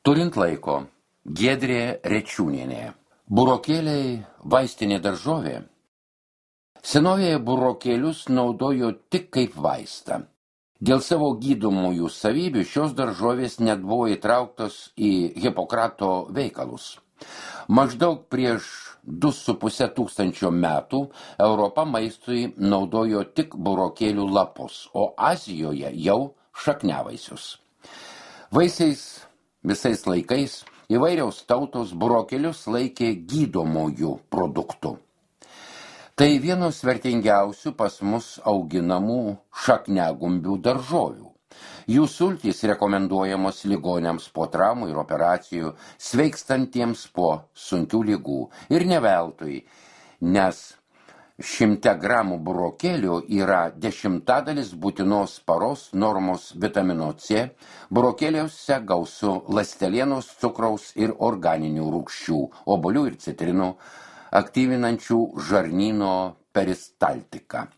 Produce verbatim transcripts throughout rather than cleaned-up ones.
Turint laiko, Giedrė Rečiūnienė. Burokėliai vaistinė daržovė. Senovėje burokėlius naudojo tik kaip vaistą. Dėl savo gydomųjų savybių šios daržovės net buvo įtrauktos į Hipokrato veikalus. Maždaug prieš du su puse tūkstančio metų Europa maistui naudojo tik burokėlių lapus, o Azijoje jau šakniavaisius. Vaisiais visais laikais įvairiaus tautos burokėlius laikė gydomųjų produktų. Tai vienos vertingiausių pas mus auginamų šakniagumbių daržovių. Jų sultys rekomenduojamos ligoniams po traumų ir operacijų, sveikstantiems po sunkių ligų. Ir ne veltui, nes šimte gramų burokėlių yra dešimtadalis būtinos paros normos vitamino C, burokėliuose gausu ląstelienos, cukraus ir organinių rūgščių, obuolių ir citrinų, aktyvinančių žarnyno peristaltiką.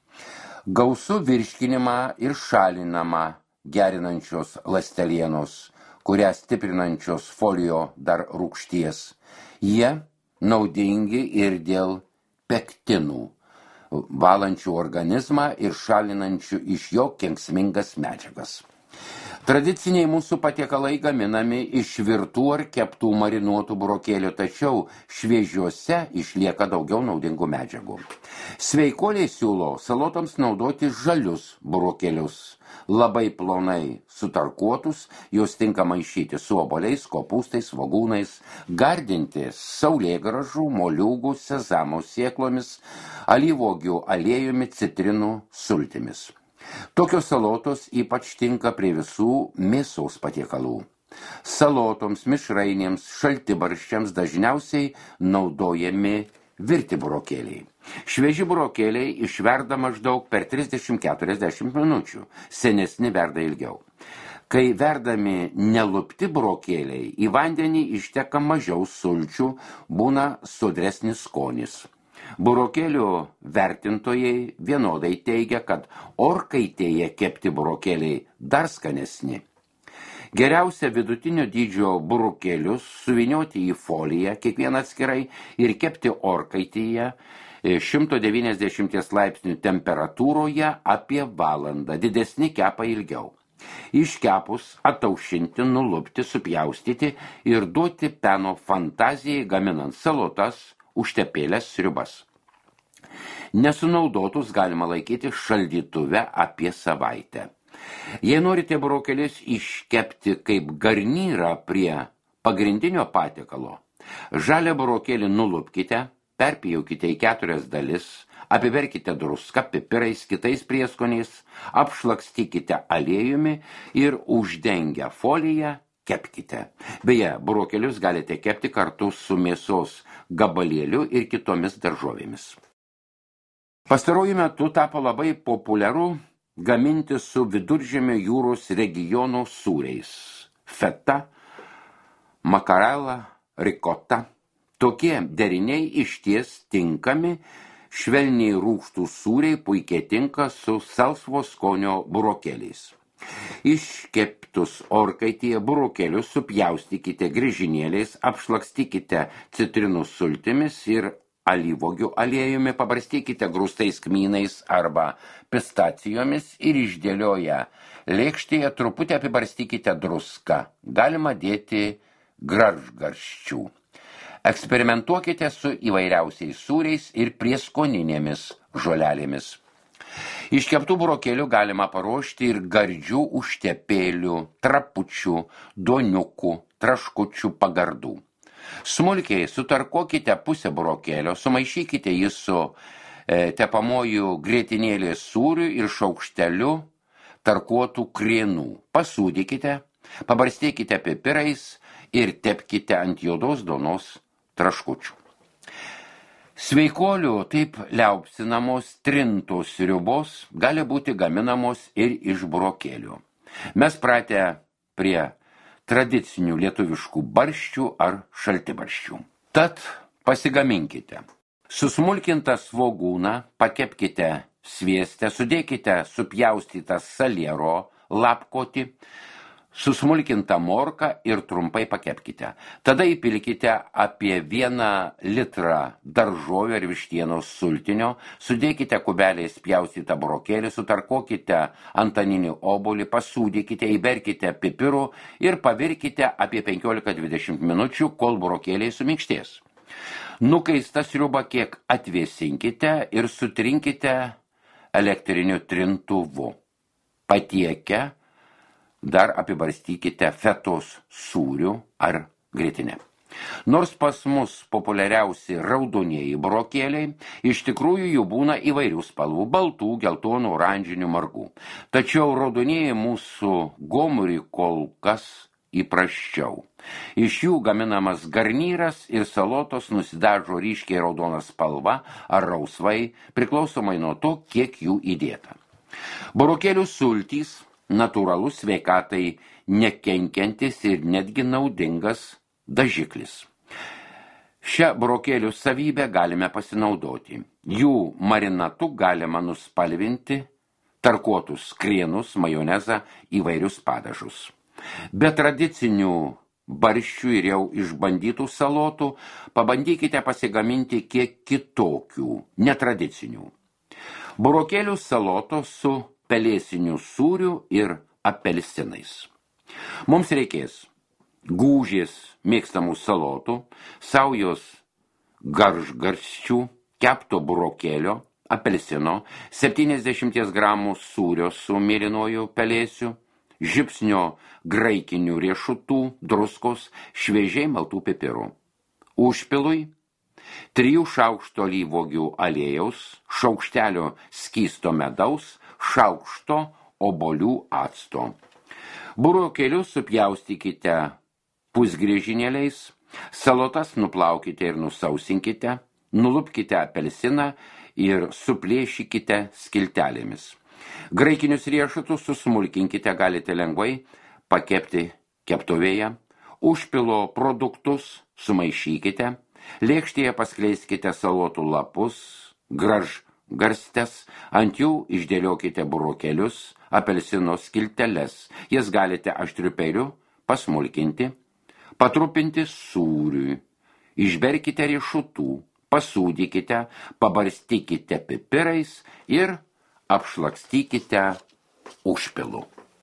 Gausu virškinimą ir šalinamą gerinančios ląstelienos, kurią stiprinančios folio dar rūgšties. Jie naudingi ir dėl pektinų, valančių organizmą ir šalinančių iš jo kenksmingas medžiagas. Tradiciniai mūsų patiekalai gaminami iš virtų ar keptų marinuotų burokėlių, tačiau šviežiuose išlieka daugiau naudingų medžiagų. Sveikuoliai siūlo salotoms naudoti žalius burokėlius, labai plonai sutarkuotus, juos tinka maišyti su obuoliais, kopūstais, svogūnais, gardinti saulėgrąžų, moliūgų, sezamo sėklomis, alyvuogių aliejumi, citrinų sultimis. Tokios salotos ypač tinka prie visų mėsos patiekalų. Salotoms, mišrainėms, šaltibarščiams dažniausiai naudojami virti burokėliai. Švieži burokėliai išverda maždaug per trisdešimt keturiasdešimt minučių, senesni verda ilgiau. Kai verdami nelupti burokėliai, į vandenį išteka mažiau sulčių, būna sodresnis skonis. Burokėlių vertintojai vienodai teigia, kad orkaitėje kepti burokėliai dar skanesni. Geriausia vidutinio dydžio burokėlius suvynioti į foliją, kiekvieną atskirai, ir kepti orkaitėje šimto devyniasdešimties laipsnių temperatūroje apie valandą, didesni kepa ilgiau. Iškepus ataušinti, nulupti, supjaustyti ir duoti peno fantazijai, gaminant salotas, užtepėlės, sriubas. Nesunaudotus galima laikyti šaldytuve apie savaitę. Jei norite burokėlius iškepti kaip garnyrą prie pagrindinio patiekalo, žalią burokėlį nulupkite, perpjaukite į keturias dalis, apiberkite druską, pipirais, kitais prieskoniais, apšlakstykite aliejumi ir uždengę foliją kepkite. Beje, burokėlius galite kepti kartu su mėsos gabalėliu ir kitomis daržovėmis. Pastaruoju metu tapo labai populiaru gaminti su Viduržemio jūros regiono sūriais. Feta, makarela, rikota. Tokie deriniai išties tinkami, švelniai rūgštų sūriai puikiai tinka su salsvo skonio burokėliais. Iškeptus orkaitėje burokėlius supjaustykite griežinėliais, apšlakstykite citrinų sultimis ir alyvuogių aliejumi, pabarstykite grūstais kmynais arba pistacijomis ir išdėlioję lėkštėje truputį apibarstykite druską. Galima dėti gražgarščių. Eksperimentuokite su įvairiausiais sūriais ir prieskoninėmis žolelėmis. Iš keptų burokėlių galima paruošti ir gardžių užtepėlių, trapučių, duoniukų, traškučių pagardų. Smulkiai sutarkuokite pusę burokėlio, sumaišykite jį su e, tepamoju grietinėlės sūriu ir šaukšteliu tarkuotų krienų. Pasūdykite, pabarstykite pipirais ir tepkite ant juodos duonos traškučių. Sveikuolių taip liaupsinamos trintos sriubos gali būti gaminamos ir iš burokėlių. Mes pratę prie tradicinių lietuviškų barščių ar šaltibarščių. Tad pasigaminkite. Susmulkintą svogūną pakepkite svieste, sudėkite supjaustytą saliero lapkotį, susmulkintą morką ir trumpai pakepkite. Tada įpilkite apie vieną litrą daržovių ar vištienos sultinio, sudėkite kubeliais pjaustytą burokėlį, sutarkuokite antaninį obuolį, pasūdykite, įberkite pipirų ir pavirkite apie penkiolika dvidešimt minučių, kol burokėliai suminkštės. Nukaistą sriubą kiek atvėsinkite ir sutrinkite elektriniu trintuvu. Patiekę dar apibarstykite fetos sūriu ar grietinę. Nors pas mus populiariausi raudonieji burokėliai, iš tikrųjų jų būna įvairių spalvų – baltų, geltonų, oranžinių, margų. Tačiau raudonieji mūsų gomuriui kol kas įprasčiau. Iš jų gaminamas garnyras ir salotos nusidažo ryškiai raudona spalva ar rausvai, priklausomai nuo to, kiek jų įdėta. Burokėlių sultys natūralus sveikatai nekenkiantis ir netgi naudingas dažiklis. Šią burokėlių savybę galime pasinaudoti. Jų marinatu galima nuspalvinti tarkuotus krienus, majonezą, įvairius padažus. Be tradicinių barščių ir jau išbandytų salotų pabandykite pasigaminti kiek kitokių, netradicinių. Burokėlių salotos su pelėsinių sūrių ir apelsinais. Mums reikės gūžės mėgstamų salotų, saujos garžgarsčių, kepto burokėlio, apelsino, septyniasdešimt gramų sūrio su mėlynuoju pelėsiu, žipsnio graikinių riešutų, druskos, šviežiai maltų pipirų. Užpilui trijų šaukštų alyvuogių aliejaus, šaukštelio skysto medaus, šaukšto obuolių acto. Burokėlius supjaustykite pusgriežinėliais, salotas nuplaukite ir nusausinkite, nulupkite apelsiną ir suplėšykite skiltelėmis. Graikinius riešutus susmulkinkite, galite lengvai pakepti keptuvėje, užpilo produktus sumaišykite, lėkštėje paskleiskite salotų lapus, graž garstes, ant jų išdėliokite burokėlius, apelsino skilteles. Jas galite aštriu peiliu pasmulkinti, patrupinti sūriui, išberkite riešutų, pasūdykite, pabarstykite pipirais ir apšlakstykite užpilu.